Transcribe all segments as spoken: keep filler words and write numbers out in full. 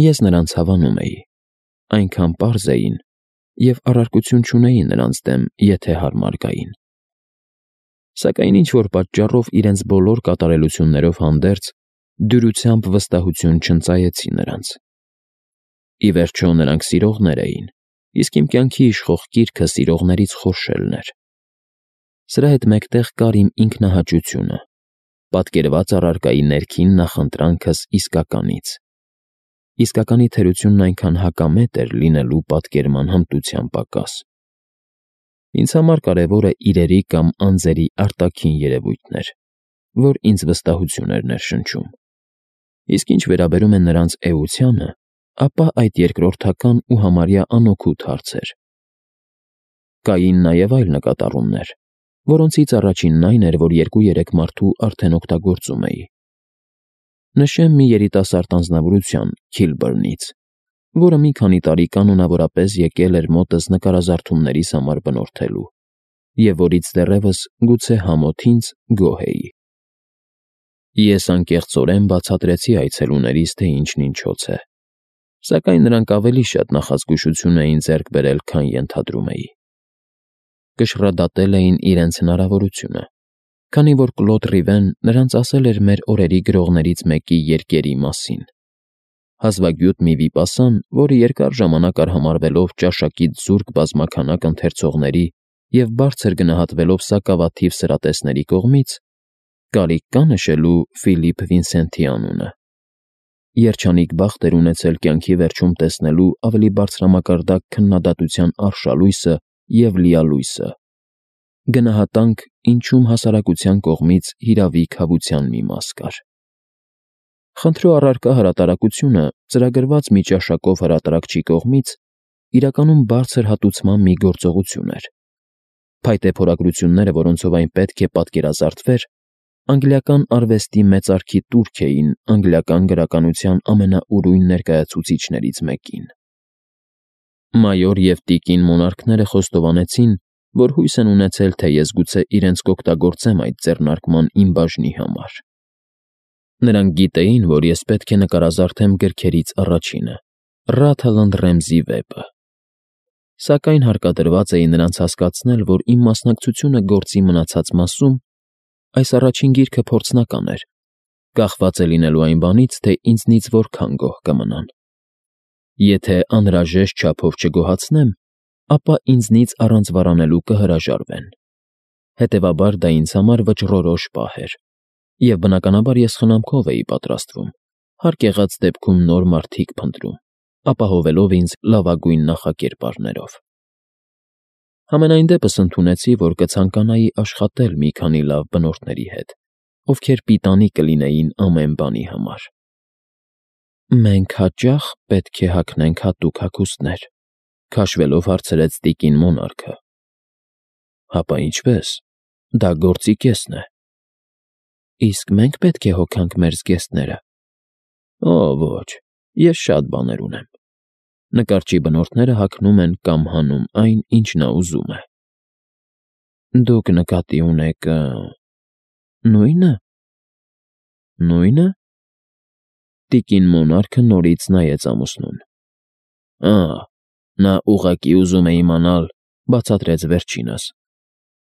Ես նրանց հավանում էի, այնքան պարզ էին և առարկություն չունեի նրանց դեմ, եթե հարմար գային։ Սակայն ինչ-որ պատճառով իրենց բոլոր կատարելություններով հանդերձ դյուրությամբ վստահություն չընծայեցի նրանց։ Ի վերջո նրանք սիրողներ էին, իսկ իմ կյանքի իշխող կիրքը սիրողներից խորշելն էր։ Սրա հետ մեկտեղ կար իմ ինքնահաճությունը, պատկերված առարկայի ներքին նախընտրանքս իսկականից։ Իսկականի թերությունն այնքան հակամետ էր լինելու պատկերման հմտության պակաս։ Ինձ համար կարևորը իրերի կամ անձերի արտաքին երևույթն էր, որ ինձ վստահություն էր ներշնչում։ Իսկ ինչ վերաբերում է նրանց էությանը, ապա այդ երկրորդական ու համարյա անօգուտ հարց էր։ Կային նաև այլ նկատառումներ, որոնցից առաջինն այն էր, որ երկու-երեք մարդու արդեն օգտագործում էի։ Նշեմ մի երիտասարդ անձնավորության՝ Քիլբըրնից, որը մի քանի տարի կանոնավորապես եկել էր մոտս նկարազարդումներիս համար բնորդելու, և որից դեռևս գուցե համոտ ինձ գոհ էի։ Ես անկեղծորեն բացատրեցի այցելուներիս, թե ինչն ինչոց է, սակայն նրանք ավելի շատ նախազգուշություն էին ձեռք բերել, քան ենթադրում էի։ Կշռադատել էին իրենց հնարավորությունը, քանի որ Կլոդ Ռիվեն նրանց ասել էր մեր օրերի գրողներից մեկի երկերի մասին։ Հազվագյուտ մի վիպասան, որը երկար ժամանակ արհամարհվելով ճաշակից զուրկ բազմաքանակ ընթերցողների և բարձր գնահատվելով սակավաթիվ սրատեսների կողմից, կարիք կա՞ նշելու Ֆիլիպ Վինսենթի անունը։ Երջանիկ բախտ էր ունեցել կյանքի վերջում տեսնելու ավելի բարձրամակարդակ քննադատության արշալույսը և լիալույսը։ Գնահատանք, ինչում հասարակության կողմից հիրավի քավության մի մաս կար։ Խնդրո առարկա հրատարակությունը ծրագրված մի ճաշակով հրատարակչի կողմից իրականում բարձր հատուցման մի գործողություն էր։ Փայտե փորագրությունները, որոնցով այն պետք է պատկերազարդվեր, անգլիական արվեստի մեծարգի տուրք էին անգլիական գրականության ամենաուրույն ներկայացուցիչներից մեկին։ Մայոր և տիկին Մոնարքները խոստովանեցին, որ հույս են ունեցել, թե ես գուցե իրենց կօգտագործեմ այդ ձեռնարկման իմ բաժնի համար։ Նրանք գիտեին, որ ես պետք է նկարազարդեմ գրքերից առաջինը՝ Ռաթլընդ Ռեմզի վեպը։ Սակայն հարկադրված էի նրանց հասկացնել, որ իմ մասնակցությունը գործի մնացած մասում այս առաջին գիրքը փորձնական էր, կախված է լինելու այն բանից, թե ինձնից որքան գոհ կմնան։ Եթե անհրաժեշտ չափով չգոհացնեմ, ապա ինձնից առանց վարանելու կհրաժարվեն։ Հետևաբար դա ինձ համար վճռորոշ պահ էր, և բնականաբար ես խնամքով էի պատրաստվում, հարկ եղած դեպքում նոր մարդիկ փնտրում, ապահովելով ինձ լավագույն նախակերպարներով։ Համենայն դեպս ընդունեցի, որ կցանկանայի աշխատել մի քանի լավ բնորդների հետ, ովքեր պիտանի կլինեին ամեն բանի համար։ Մենք հաճա՞խ պետք է հագնենք հատուկ հագուստներ, քաշվելով հարցրեց տիկին Մոնարքը։ Հապա ինչպես, դա գործի կեսն է։ Իսկ մենք պետք է հոգանք մեր զգեստները։ Օ, ոչ, ես շատ բաներ ունեմ։ Նկարչի բնորդները հագնում են կամ հանում այն, ինչ նա ուզում է։ Դուք նկատի ունեք… նույնը։ Նույնը։ Տիկին Մոնարքը նորից նայեց ամուսնուն։ Ա՜, նա ուղղակի ուզում է իմանալ, բացատրեց վերջինս,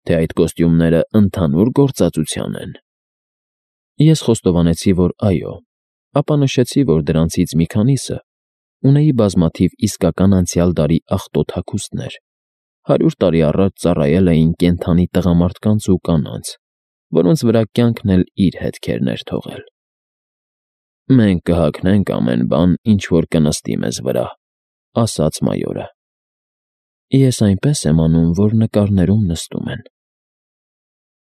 թե այդ կոստյումները ընդհանուր գործածության են։ Ես խոստովանեցի, որ այո, ապա նշեցի, որ դրանցից մի քանիսը ունեի բազմաթիվ իսկական անցյալ դարի աղտոտ հագուստներ, հարյուր տարի առաջ ծառայել էին կենդանի տղամարդկանց ու կանանց, որոնց վրա կյանքն էլ իր հետքերն էր թողել։ Մենք կհագնենք ամեն բան, ինչ որ կնստի մեզ վրա, ասաց մայորը։ Ես այնպես եմ անում, որ նկարներում նստում են։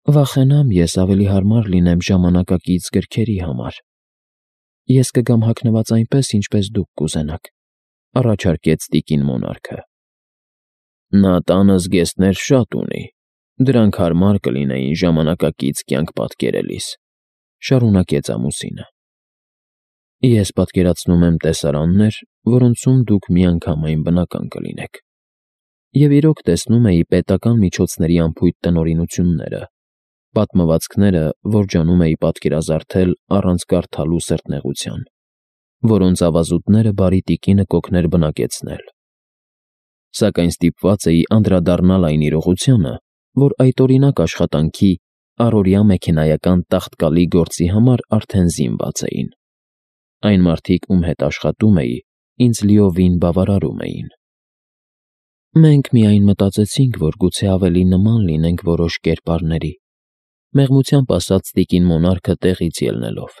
Վախենամ ես ավելի հարմար լինեմ ժամանակակից գրքերի համար։ Ես կգամ հագնված այնպես, ինչպես դուք կուզենաք, առաջարկեց տիկին Մոնարքը։ Նա տանը զգեստներ շատ ունի, դրանք հարմար կլինեին ժամանակակից կյանք պատկերելիս, շարունակեց ամուսինը։ Ես պատկերացնում եմ տեսարաններ, որոնցում դուք միանգամայն բնական կլինեք։ Եվ իրոք տեսնում էի պետական միջոցների անփույթ տնօրինությունները, պատմվածքները, որ ջանում էի պատկերազարդել առանց կարդալու սրտնեղության։ որոնց ավազուտները բարի տիկինը կօգներ բնակեցնել։ Սակայն ստիպված էի անդրադառնալ այն իրողությանը, որ այդ օրինակ աշխատանքի առօրյա մեքենայական տաղտկալի գործի համար արդեն զինված էին։ Այն մարդիկ, ում հետ աշխատում էի, ինձ լիովին բավարարում էին։ Մենք միայն մտածեցինք, որ գուցե ավելի նման լինենք որոշ կերպարների, մեղմությամբ ասաց տիկին Մոնարքը տեղից ելնելով։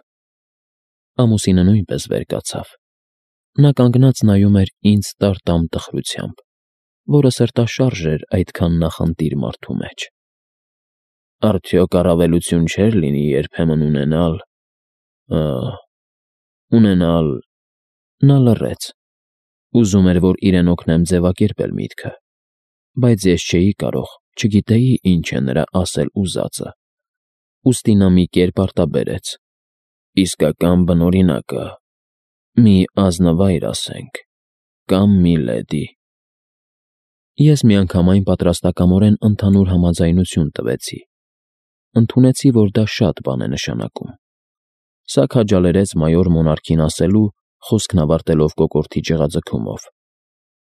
Ամուսինը նույնպես վեր կացավ։ Նա կանգնած նայում էր ինձ տար-տամ տխրությամբ, որը սրտաշարժ էր այդքան նախընտիր մարդու մեջ։ Արդյոք առավելություն չէր լինի երբեմն ունենալ… ունենալ… Նա լռեց։ Ուզում էր, որ իրեն օգնեմ ձևակերպել միտքը, բայց ես չէի կարող, չգիտեի ինչ է նրա ասել ուզածը, ուստի նա մի կերպ արտաբերեց. իսկական բնօրինակը, մի ազնվայր ասենք, կամ մի լեդի։ Ես միանգամայն պատրաստակամորեն ընդհանուր համաձայնություն տվեցի, ընդունեցի, որ դա շատ բան է նշանակում։ Սա քաջալերեց մայոր Մոնարքին ասելու, խոսքն ավարտելով կոկորդի ճղաձգումով.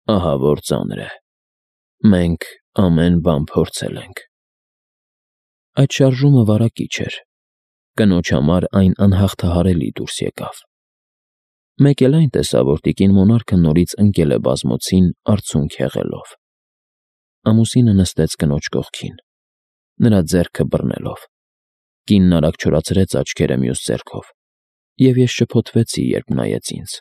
ահա որ ծանր է, մենք ամեն բան փորձել ենք։ Այդ շարժումը վարակիչ էր, կնոջ համար այն անհաղթահարելի դուրս եկավ։ Մեկ էլ այն տեսա, որ տիկին Մոնարքը նորից ընկել է բազմոցին, արցունք եղելով։ Ամուսինը նստեց կնոջ կողքին, նրա ձեռքը բռնելով։ Կինն արագ չորացրեց աչքերը մյուս ձեռքով, և ես շփոթվեցի, երբ նայեց ինձ։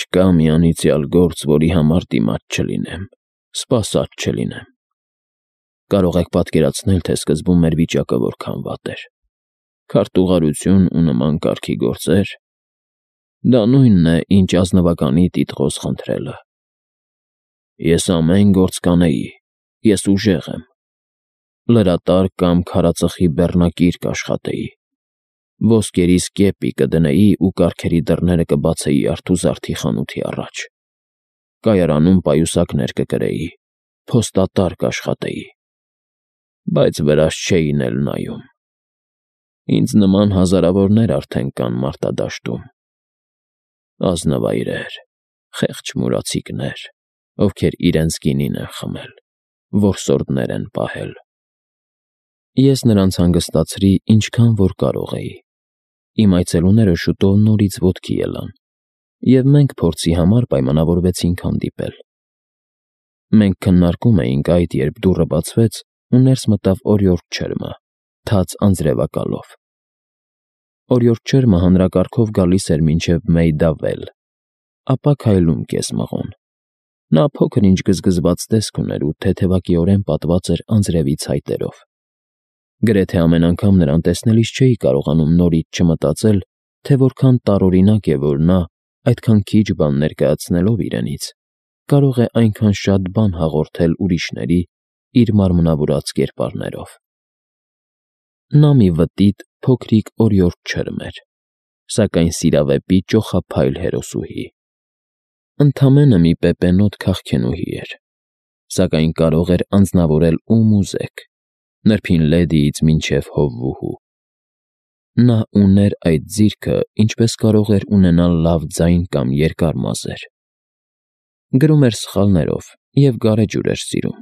Չկա մի անիծյալ գործ, որի համար դիմաց չլինեմ, սպասած չլինեմ։ Կարող եք պատկերացնել, թե սկզբում մեր վիճակը որքան վատ էր։ Քարտուղարություն ու նման կարգի գործեր… Դա նույնն է, ինչ ազնվականի տիտղոս խնդրելը։ Ես ամեն գործ կանեի, ես ուժեղ եմ։ Լրատար կամ քարածխի բեռնակիր կաշխատեի, ոսկերիս կեպի կդնեի ու կառքերի դռները կբացեի արթուզարդի խանութի առաջ, կայարանում պայուսակներ կկրեի, փոստատար կաշխատեի, բայց վրաս չէին էլ նայում։ Ինձ նման հազարավորներ արդեն կան մարտադաշտում, ազնվայրեր, խեղճ մուրացիկներ, ովքեր իրենց գինին են խմել, որսորդներ են պահել։ Ես նրանց հանգստացրի, ինչքան որ կարող էի։ Իմ այցելուները շուտով նորից ոտքի ելան, և մենք փորձի համար պայմանավորվեցինք հանդիպել։ Մենք քննարկում էինք այդ, երբ դուռը բացվեց ու ներս մտավ օրիորդ Չերմը, թաց անձրևակալով։ Օրիորդ Չերմը հանրակարգով գալիս էր մինչև Մեյդավել, ապա քայլում կես-մղոն։ Նա փոքր-ինչ գզգզված տեսք ուներ ու թեթևակիորեն պատված էր անձրևի ցայտերով։ Գրեթե ամեն անգամ նրան տեսնելիս չէի կարողանում նորից չմտածել, թե որքան տարօրինակ է, որ նա, այդքան քիչ բան ներկայացնելով իրենից, կարող է այնքան շատ բան հաղորդել ուրիշների իր մարմնավորած կերպարներով։ Նա մի վտիտ, փոքրիկ օրիորդ Չերմ էր, սակայն սիրավեպի ճոխափայլ հերոսուհի։ Ընդամենը մի պեպենոտ քաղցկենուհի էր, սակայն կարող էր անձնավորել ում ուզեք, նրբին լեդիից մինչև հովվուհու։ Նա ուներ այդ ձիրքը, ինչպես կարող էր ունենալ լավ ձայն կամ երկար մազեր։ Գրում էր սխալներով և գարեջուր էր սիրում,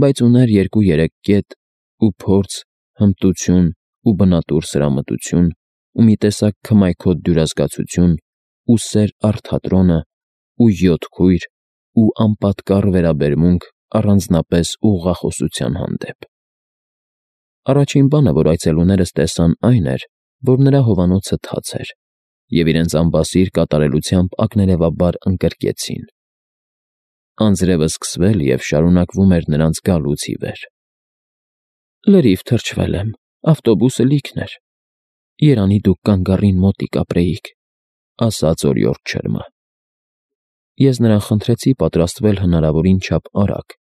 բայց ուներ երկու֊երեք կետ ու փորձ, հմտություն ու բնատուր սրամտություն ու մի տեսակ քմայքոտ դյուրազգացություն ու սեր առ թատրոնը ու յոթ քույր ու անպատկառ վերաբերմունք առանձնապես ուղղախոսության հանդեպ։ Առաջին բանը, որ այցելուներս տեսան, այն էր, որ նրա հովանոցը թաց էր, և իրենց անբասիր կատարելությամբ ակներևաբար ընկրկեցին։ Անձրևը սկսվել և շարունակվում էր նրանց գալուց ի վեր։ Լրիվ թրջվել եմ, ավտոբուսը լիքն էր։ Երանի դուք կանգառին մոտիկ ապրեիք, ասաց օրիորդ Չերմը։ Ես նրան խնդրեցի պատրաստվել հնարավորին չափ արագ,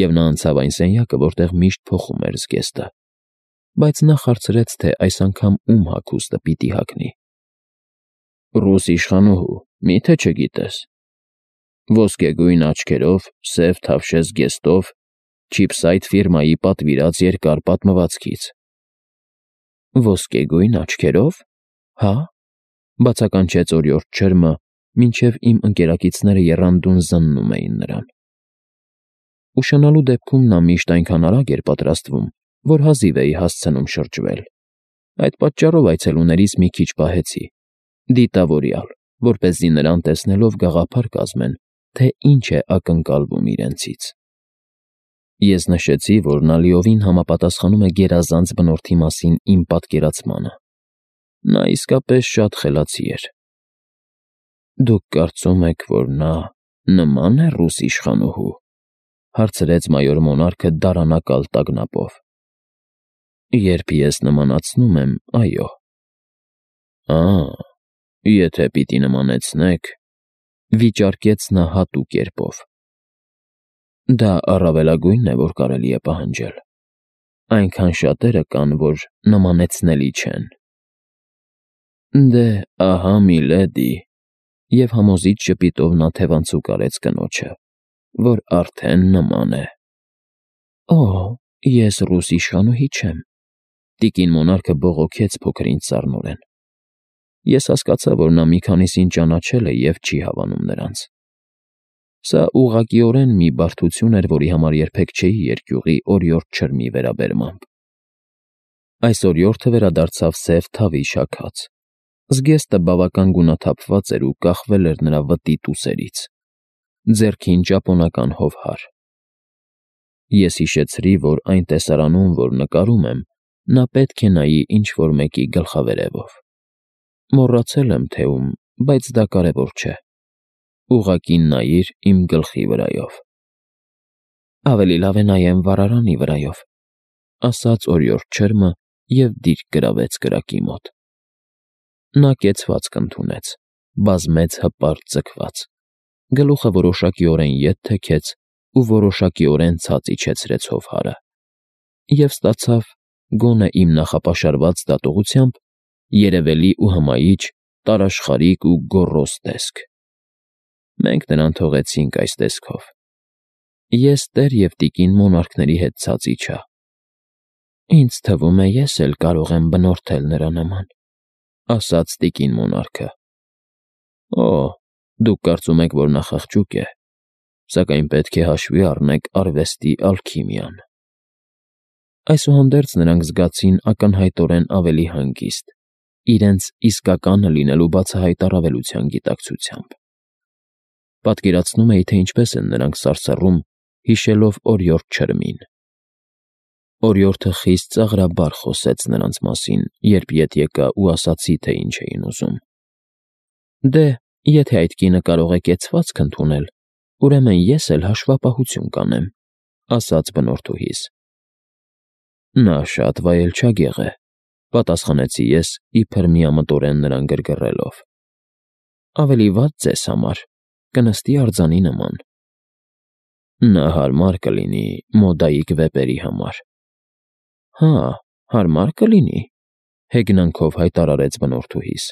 և նա անցավ այն սենյակը, որտեղ միշտ փոխում էր զգեստը, բայց նա հարցրեց, թե այս անգամ ում հագուստը պիտի հագնի։ Ռուս իշխանուհու, մի՞թե չգիտես։ Ոսկեգույն աչքերով, սև թավշե զգեստով, չիփսայթ ֆիրմայի պատվիրած երկար պատմվածքից։ Ոսկեգույն աչքերով, հա՞։ Բացականչեց օրիորդ ջերմը, մինչև իմ ընկերակիցները եռանդուն զննում էին նրան։ Ուշանալու դեպքում նա միշտ այնքան արագ էր պատրաստվում, որ հազիվ էի հասցնում շրջվել։ Այդ պատճառով այցելուներից մի քիչ պահեցի, դիտավորյալ, որպեսզի նրան տեսնելով գաղափար կազմեն, թե ինչ է ակնկալվում իրենցից։ Ես նշեցի, որ նա լիովին համապատասխանում է գերազանց բնորդի մասին իմ պատկերացմանը։ Նա իսկապես շատ խելացի էր։ Դուք կարծում եք, որ նա նման է ռուս իշխանուհու, հարցրեց մայոր Մոնարքը դարանակալ տագնապով։ Երբ ես նմանացնում եմ, այո։ Ա, եթե պիտի նմանեցնեք, վիճարկեց նա հատուկ կերպով։ Դա առավելագույնն է, որ կարելի է պահանջել։ Այնքան շատերը կան, որ նմանեցնելի չեն։ Դե, ահա միլեդի, և համոզիչ ժպիտով նա թևանցուկ արեց կնոջը, որ արդեն նման է։ Օ, ես ռուս իշխանուհի չեմ, տիկին Մոնարքը բողոքեց փոքր ինձ սառնորեն։ Ես հասկացա, որ նա մի քանիսին ճանաչել է և չի հավանում նրանց։ Սա ուղղակիորեն մի բարդություն էր, որի համար երբեք չէի երկյուղի օրիորդ ջրմի վերաբերմամբ։ Այս օրիորդը վերադարձավ սև թավի շաքած։ Զգեստը բավական գունաթափված էր ու կախվել էր նրա վտիտ ուսերից։ Ձեռքին ճապոնական հովհար։ Ես հիշեցրի, որ այն տեսարանում, որ նկարում եմ, նա պետք է նայի ինչ-որ մեկի գլխավերևով։ Մոռացել եմ, թե ում, բայց դա կարևոր չէ։ Ուղղակի նայիր իմ գլխի վրայով։ Ավելի լավ է նայեմ վառարանի վրայով, ասաց օրիորդ ջերմը և դիրք գրավեց կրակի մոտ։ Նա կեցվածք ընդունեց, բազմեց հպարտ ձգված, գլուխը որոշակիորեն ետ թեքեց ու որոշակիորեն ցած իջեցրեց հովհարը և ստացավ, գոնե իմ նախապաշարված դատողությամբ, երևելի ու հմայիչ, տարաշխարիկ ու գոռոզ տեսք։ Մենք նրան թողեցինք այս տեսքով։ Ես տեր և տիկին Մոնարքների հետ ցած իջա։ Ինձ թվում է, ես էլ կարող եմ բնորդել նրա նման, ասաց տիկին Մոնարքը։ Օ, դուք կարծում եք, որ նա խղճուկ է, սակայն պետք է հաշվի առնեք արվեստի ալքիմիան։ Այսուհանդերձ նրանք զգացին ակնհայտորեն ավելի հանգիստ, իրենց իսկականը լինելու բացահայտ առավելության գիտակցությամբ։ Պատկերացնում էի, թե ինչպես են նրանք սարսռում, հիշելով օրիորդ ջրմին։ Օրիորդը խիստ ծաղրաբար խոսեց նրանց մասին, երբ ետ եկա ու ասացի, թե ինչ էին ուզում։ Դե, եթե այդ կինը կարող է կեցվածք ընդունել, ուրեմն ես էլ հաշվապահություն կանեմ, ասաց բնորդուհիս։ Նա շատ վայելչագեղ է, պատասխանեցի ես, իբր միամտորեն նրան գրգռելով։ Ավելի վատ ձեզ համար, կնստի արձանի նման։ Նա հարմար կլինի մոդայիկ վեպերի համար։ Հա, հարմար կլինի, հեգնանքով հայտարարեց բնորդուհիս։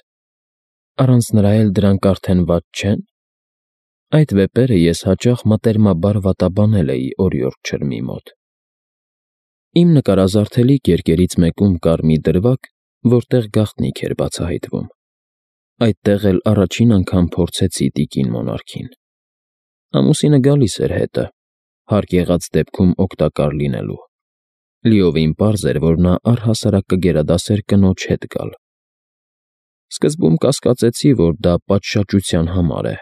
Առանց նրա էլ դրանք արդեն վատ չեն։ Այդ վեպերը ես հաճախ մտերմաբար վատաբանել էի օրիորդ ջրմի մոտ։ Իմ նկարազարդելի կերկերից մեկում կար մի դրվագ, որտեղ գաղտնիք էր բացահայտվում։ Այդտեղ էլ առաջին անգամ փորձեցի տիկին Մոնարքին։ Ամուսինը գալիս էր հետը, հարկ եղած դեպքում օգտակար լինելու։ Լիովին պարզ էր, որ նա առհասարակ կգերադասեր կնոջ հետ գալ։ Սկզբում կասկածեցի, որ դա պատշաճության համար է,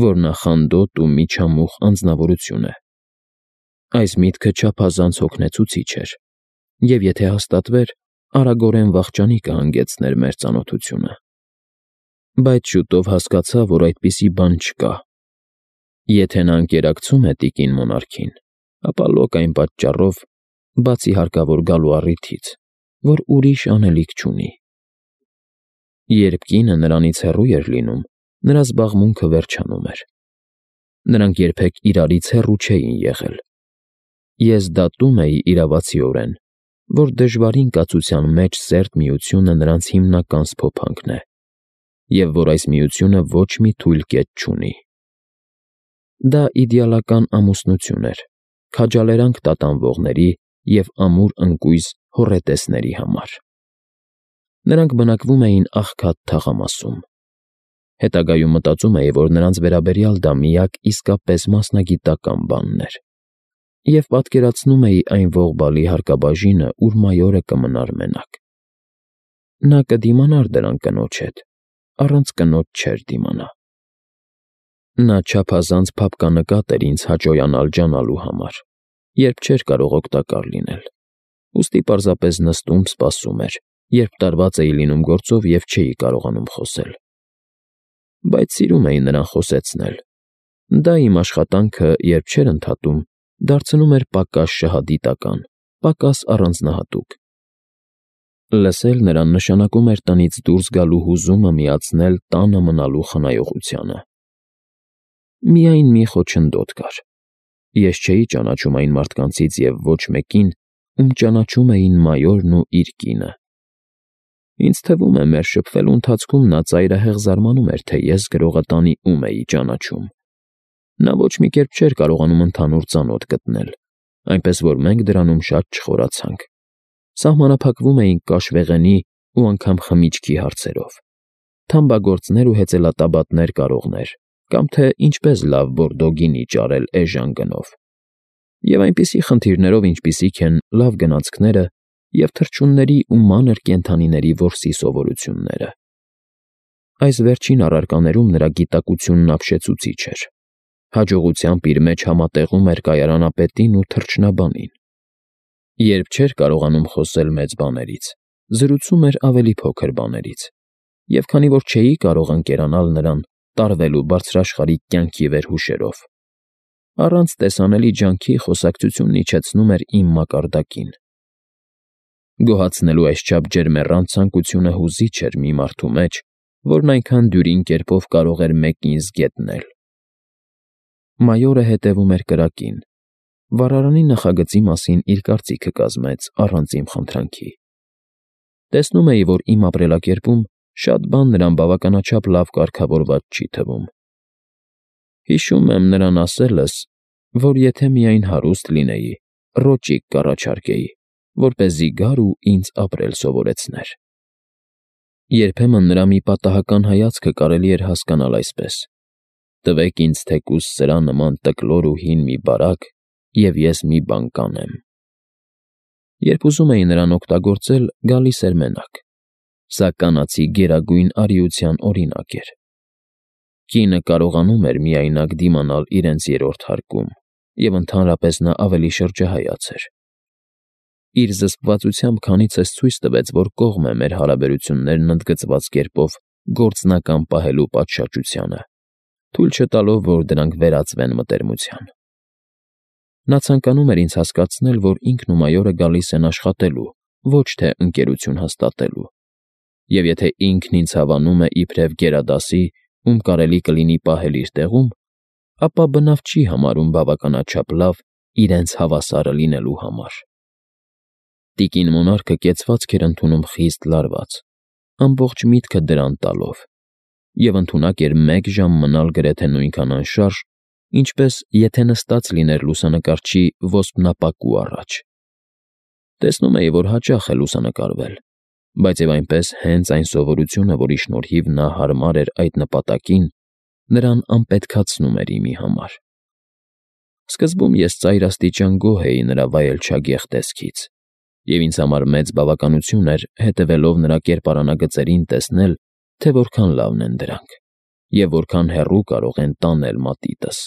որ նա խանդոտ ու միջամուխ անձնավորություն է։ Այս միտքը չափազանց հոգնեցուցիչ էր, և եթե հաստատվեր, արագորեն վախճանի կհանգեցներ մեր ծանոթությունը։ Բայց շուտով հասկացա, որ այդպիսի բան չկա։ Եթե նա ընկերակցում է տիկին Մոնարքին, ապա լոկ այն պատճառով, բացի հարկավոր գալու առիթից, որ ուրիշ անելիք չունի։ Երբ կինը նրանից հեռու էր լինում, նրա զբաղմունքը վերջանում էր։ Նրանք երբեք իրարից հեռու չէին եղել։ Ես դատում էի իրավացիորեն, որ դժվարին կացության մեջ սերտ միությունը նրանց հիմնական սփոփանքն է, և որ այս միությունը ոչ մի թույլ կետ չունի։ Դա իդեալական ամուսնություն էր, քաջալերանք տատանվողների և ամուր ընկույզ հոռետեսների համար։ Նրանք բնակվում էին աղքատ թաղամասում, Հետագայում մտածում էի, որ նրանց վերաբերյալ դա միակ իսկապես մասնագիտական բանն էր, և պատկերացնում էի այն ողբալի հարկաբաժինը, ուր մայորը կմնար մենակ։ Նա կդիմանար դրան կնոջ հետ, առանց կնոջ չէր դիմանա։ Նա չափազանց փափկանկատ էր ինձ հաճոյանալ ջանալու համար, երբ չէր կարող օգտակար լինել, ուստի պարզապես նստում սպասում էր, երբ տարված էի լինում գործով և չէի կարողանում խոսել։ Բայց սիրում էի նրան խոսեցնել։ Դա իմ աշխատանքը, երբ չէր ընդհատում, դարձնում էր պակաս շահադիտական, պակաս առանձնահատուկ։ Լսել նրան նշանակում էր տնից դուրս գալու հուզումը միացնել տանը մնալու խնայողությանը։ Միայն մի խոչընդոտ կար. ես չէի ճանաչում այն մարդկանցից և ոչ մեկին, ում ճանաչում էին մայորն ու իր կինը։ Ինձ թվում է, մեր շփվելու ընթացքում նա ծայրահեղ զարմանում էր, թե ես գրողը տանի ում էի ճանաչում։ Նա ոչ մի կերպ չէր կարողանում ընդհանուր ծանոթ գտնել, այնպես որ մենք դրանում շատ չխորացանք։ Սահմանափակվում էինք կաշվեղենի ու անգամ խմիչքի հարցերով, թամբագործներ ու հեծելատաբատներ կարողներ, կամ թե ինչպես լավ բորդո գինի ճարել էժան գնով, և այնպիսի խնդիրներով, ինչպիսիք են լավ գնացքները և թռչունների ու մանր կենդանիների որսի սովորությունները։ Այս վերջին առարկաներում նրա գիտակությունն ապշեցուցիչ էր, հաջողությամբ իր մեջ համատեղում էր կայարանապետին ու թռչնաբանին։ Երբ չէր կարողանում խոսել մեծ բաներից, զրուցում էր ավելի փոքր բաներից, և քանի որ չէի կարող ընկերանալ նրան, տարվելու բարձրաշխարհիկ կյանքի վերհուշերով, առանց տեսանելի ջանքի խոսակցությունն իջեցնում էր իմ մակարդակին։ Գոհացնելու այսչափ ջերմեռանդ ցանկությունը հուզիչ էր մի մարդու մեջ, որն այնքան դյուրին կերպով կարող էր մեկին զգետնել։ Մայորը հետևում էր կրակին, վառարանի նախագծի մասին իր կարծիքը կազմեց առանց իմ խնդրանքի։ Տեսնում էի, որ իմ ապրելակերպում շատ բան նրան բավականաչափ լավ կարգավորված չի թվում։ Հիշում եմ նրան ասելս, որ եթե միայն հարուստ լինեի, ռոճիկ կառաջարկեի, որպեսզի գար ու ինձ ապրել սովորեցներ։ Երբեմն նրա մի պատահական հայացքը կարելի էր հասկանալ այսպես. «Տվեք ինձ թեկուզ սրա նման տկլոր ու հին մի բարակ, և ես մի բան կանեմ»։ Երբ ուզում էի նրան օգտագործել, գալիս էր մենակ։ Սա կանացի գերագույն արիության օրինակ էր։ Կինը կարողանում էր միայնակ դիմանալ իրենց երրորդ հարկում, և ընդհանրապես նա ավելի շրջահայաց էր։ Իր զսպվածությամբ քանիցս ցույց տվեց, որ կողմ է մեր հարաբերություններն ընդգծված կերպով գործնական պահելու պատշաճությանը, թույլ չտալով, որ դրանք վերածվեն մտերմության։ Նա ցանկանում էր ինձ հասկացնել, որ ինքն ու մայորը գալիս են աշխատելու, ոչ թե ընկերություն հաստատելու, և եթե ինքն ինձ հավանում է իբրև գերադասի, ում կարելի կլինի պահել իր տեղում, ապա բնավ չի համարում բավականաչափ լավ իրենց հավասարը լինելու համար։ Տիկին մոնարխը կեցվածք էր ընդունում խիստ լարված, ամբողջ միտքը դրան տալով, և ընդունակ էր մեկ ժամ մնալ գրեթե նույնքան անշարժ, ինչպես եթե նստած լիներ լուսանկարչի ոսպնապակու առաջ։ Տեսնում էի, որ հաճախ է լուսանկարվել, բայց և այնպես հենց այն սովորությունը, որի շնորհիվ նա հարմար էր այդ նպատակին, նրան անպետքացնում էր իմի համար։ Սկզբում ես ծայրաստիճան գոհ էի նրա վայելչագեղ տեսքից, և ինձ համար մեծ բավականություն էր, հետևելով նրա կերպարանագծերին, տեսնել, թե որքան լավն են դրանք, և որքան հեռու կարող են տանել մատիտս։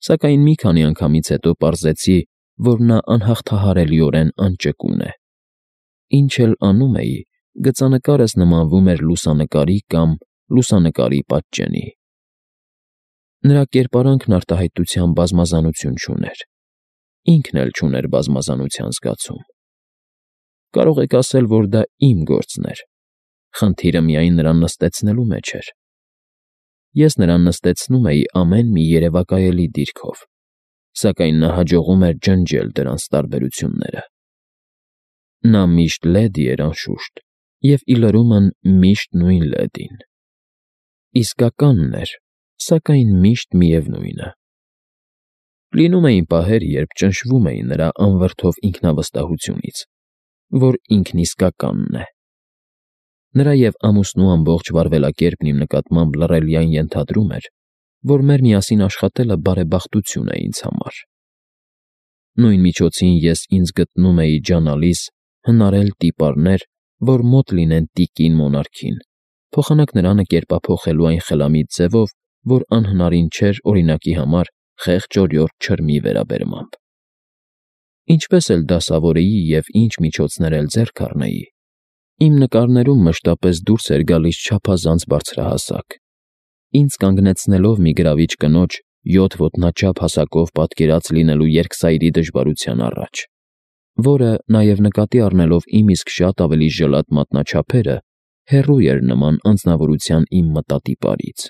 Սակայն մի քանի անգամից հետո պարզեցի, որ նա անհաղթահարելիորեն անճկուն է։ Ինչ էլ անում էի, գծանկարս նմանվում էր լուսանկարի կամ լուսանկարի պատճենի։ Նրա կերպարանքն արտահայտության բազմազանություն չուներ, ինքն էլ չուներ բազմազանության զգացում։ Կարող եք ասել, որ դա իմ գործն էր, խնդիրը միայն նրան նստեցնելու մեջ էր։ Ես նրան նստեցնում էի ամեն մի երևակայելի դիրքով, սակայն նա հաջողում էր ջնջել դրանց տարբերությունները։ Նա միշտ լեդի էր, անշուշտ, և ի լրումն միշտ նույն լեդին։ Իսկականն էր, սակայն միշտ միևնույնը։ Լինում էին պահեր, երբ ճնշվում էի նրա անվրդով ինքնավստահությունից, որ ինքն իսկականն է։ Նրա և ամուսնու ամբողջ վարվելակերպն իմ նկատմամբ լռելյան ենթադրում էր, որ մեր միասին աշխատելը բարեբախտություն է ինձ համար։ Նույն միջոցին ես ինձ գտնում էի ջանալիս հնարել տիպարներ, որ մոտ լինեն տիկին մոնարքին, փոխանակ նրանը կերպափոխելու այն խելամիտ ձևով, որ անհնարին չէր օրինակի համար խեղճ-օրիորդ չրմի վերաբերմամբ։ Ինչպես էլ դասավորեի և ինչ միջոցներ էլ ձեռք առնեի, իմ նկարներում մշտապես դուրս էր գալիս չափազանց բարձրահասակ, ինձ կանգնեցնելով մի գրավիչ կնոջ յոթ ոտնաչափ հասակով պատկերած լինելու երկսայրի դժվարության առաջ, որը, նաև նկատի առնելով իմ իսկ շատ ավելի ժլատ մատնաչափերը, հեռու էր նման անձնավորության իմ մտատիպարից։